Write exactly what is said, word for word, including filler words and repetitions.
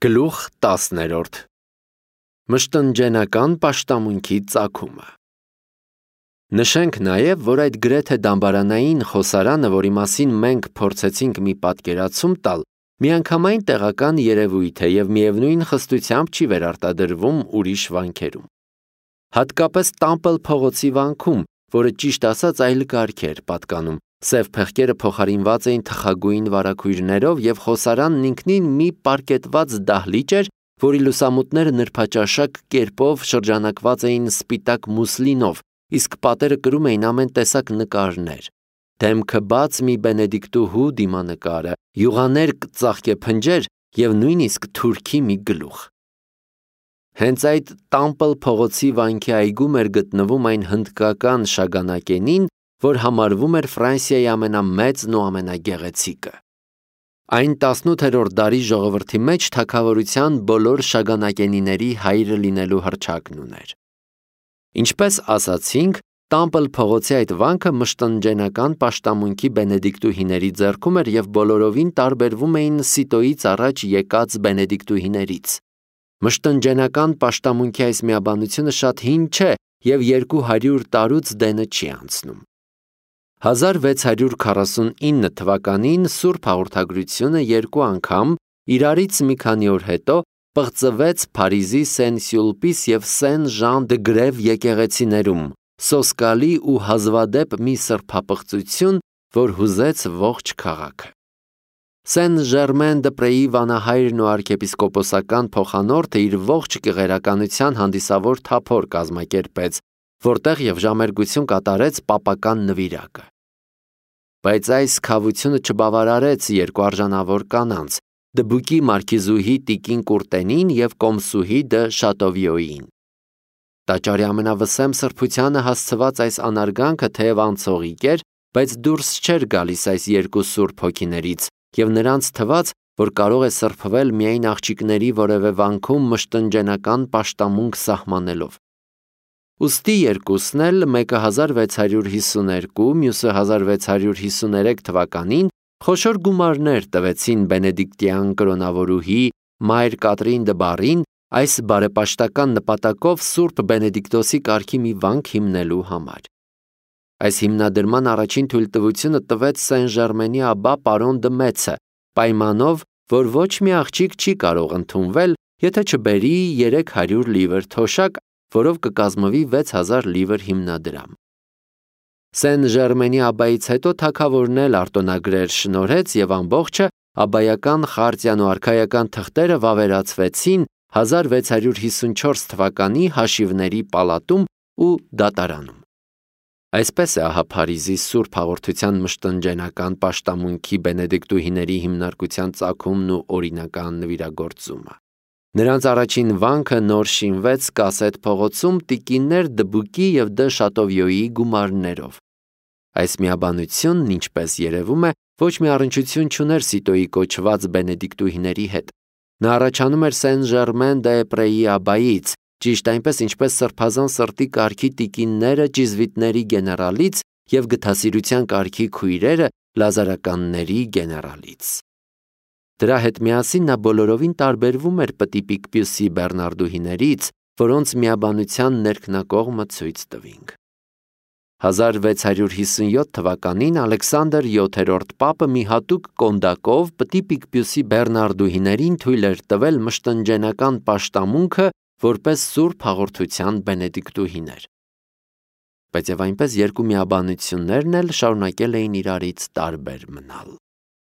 Գլուխ տասներորդ Մշտնջենական պաշտամունքի ծագումը Նշենք նաև, որ այդ գրեթե դամբարանային խոսարանը, որի մասին մենք փորձեցինք մի պատկերացում տալ, միանգամայն տեղական երևույթ է և միևնույն խստությամբ չի վերարտադրվում ուրիշ վանքերում։ Հատկապես Տամպլ փողոցի վանքում, որը ճիշտ ասած այլ կարգ էր պատկանում, սև փեղկերը փոխարինված էին թխագույն վարագույրներով և խոսարանն ինքնին մի պարկետված դահլիճ էր, որի լուսամուտները նրբաճաշակ կերպով շրջանակված էին սպիտակ մուսլինով, իսկ պատերը կրում էին ամեն տեսակ նկարներ, դեմքը բաց մի բենեդիկտուհու դիմանկարը, յուղաներկ ծաղկեփնջեր և նույնիսկ թուրքի մի գլուխ։ Հենց այդ Տամպլ փողոցի վանքի այգում էր գտնվում այն հնդկական շագանակենին, որ համարվում էր Ֆրանսիայի ամենամեծն ու ամենագեղեցիկը։ Այն տասնութերորդ դարի ժողովրդի մեջ թագավորության բոլոր շագանակենիների հայրը լինելու հռչակն ուներ։ Ինչպես ասացինք, Տամպլ փողոցի այդ վանքը մշտնջենական պաշտամունքի բենեդիկտուհիների ձեռքում էր և բոլորովին տարբերվում էին Սիտոյից առաջ եկած բենեդիկտուհիներից։ Մշտնջենական պաշտամունքի այս միաբանությունը շատ հին չէ և երկու հարյուր տարուց դենը չի անցնում։ հազար վեց հարյուր քառասունինը թվականին Սուրբ Հաղորդագրությունը երկու անգամ, իրարից մի քանի օր հետո, պղծվեց Փարիզի Սեն-Սյուլպիս և Սեն-Ժան-դը-Գրև եկեղեցիներում, սոսկալի ու հազվադեպ մի սրբապղծություն, որ հուզեց ողջ քաղաքը։ Սեն-Ժերմեն-դը-Պրեի վանահայրն ու արքեպիսկոպոսական փոխանորդը իր ողջ կեղերականության հանդիսավոր թափոր կազմակերպեց, որտեղ և ժամերգություն կատարեց պապական նվիրակը։ Բայց այս քավությունը չբավարարեց երկու արժանավոր կանանց՝ Դբուկի մարքիզուհի տիկին Կուրտենին և կոմսուհի դը Շատովիոյին։ Տաճարի ամենավսեմ սրբությանը հասցված այս անարգանքը թեև անցողիկ էր, բայց դուրս չէր գալիս այս երկու սուրբ հոգիներից, և նրանց թվաց, որ կարող է սրբվել միայն աղջիկների որևէ վանքում մշտնջենական պաշտամունք սահմանելով։ Ուստի երկուսն էլ, մեկը հազար վեց հարյուր հիսուներկու, մյուսը հազար վեց հարյուր հիսուներեք թվականին, խոշոր գումարներ տվեցին բենեդիկտյան կրոնավորուհի Մայր Կատրին դը Բարին այս բարեպաշտական նպատակով Սուրբ Բենեդիկտոսի կարգի մի վանք հիմնելու համար։ Այս հիմնադրման առաջին թույլտվությունը տվեց Սեն-Ժերմենի աբբա պարոն դը Մեծը, պայմանով, որ ոչ մի աղջիկ չի կարող ընդունվել, եթե չբերի երեք հարյուր լիվր թոշակ, որով կկազմվի վեց հազար լիվր հիմնադրամ։ Սեն-Ժերմենի աբբայից հետո թագավորն էլ արտոնագրեր շնորհեց և ամբողջը աբբայական խարտիան ու արքայական թղթերը վավերացվեցին հազար վեց հարյուր հիսունչորս թվականի հաշիվների պալատում ու դատարանում։ Այսպես է ահա Փարիզի Սուրբ Հաղորդության մշտնջենական պաշտամունքի բենեդիկտուհիների հիմնարկության ծագումն ու օրինական նվիրագործումը։ Նրանց առաջին վանքը նոր շինվեց Կասետ փողոցում տիկիններ Դբուկի և դը Շատովիոյի գումարներով։ Այս միաբանությունն, ինչպես երևում է, ոչ մի առնչություն չուներ Սիտոյի կոչված բենեդիկտուհիների հետ։ Նա առաջանում էր Սեն-Ժերմեն-դե-Պրեի աբբայից, ճիշտ այնպես, ինչպես սրբազան սրտի կարգի տիկինները ճիզվիտների գեներալից և գթասիրության կարգի քույրերը լազարականների գեներալից։ Դրա հետ միասին նա բոլորովին տարբերվում էր Պտի Պիկպյուսի բեռնարդուհիներից, որոնց միաբանության ներքնակողմը ցույց տվինք։ հազար վեց հարյուր հիսունյոթ թվականին Ալեքսանդր յոթերորդ պապը մի հատուկ կոնդակով Պտի Պիկպյուսի բեռնարդուհիներին թույլ էր տվել մշտնջենական պաշտամունքը որպես Սուրբ Հաղորդության բենեդիկտուհիներ։ Բայց և այնպես երկու միաբանություններն էլ շարունակել էին իրարից տարբեր մնալ։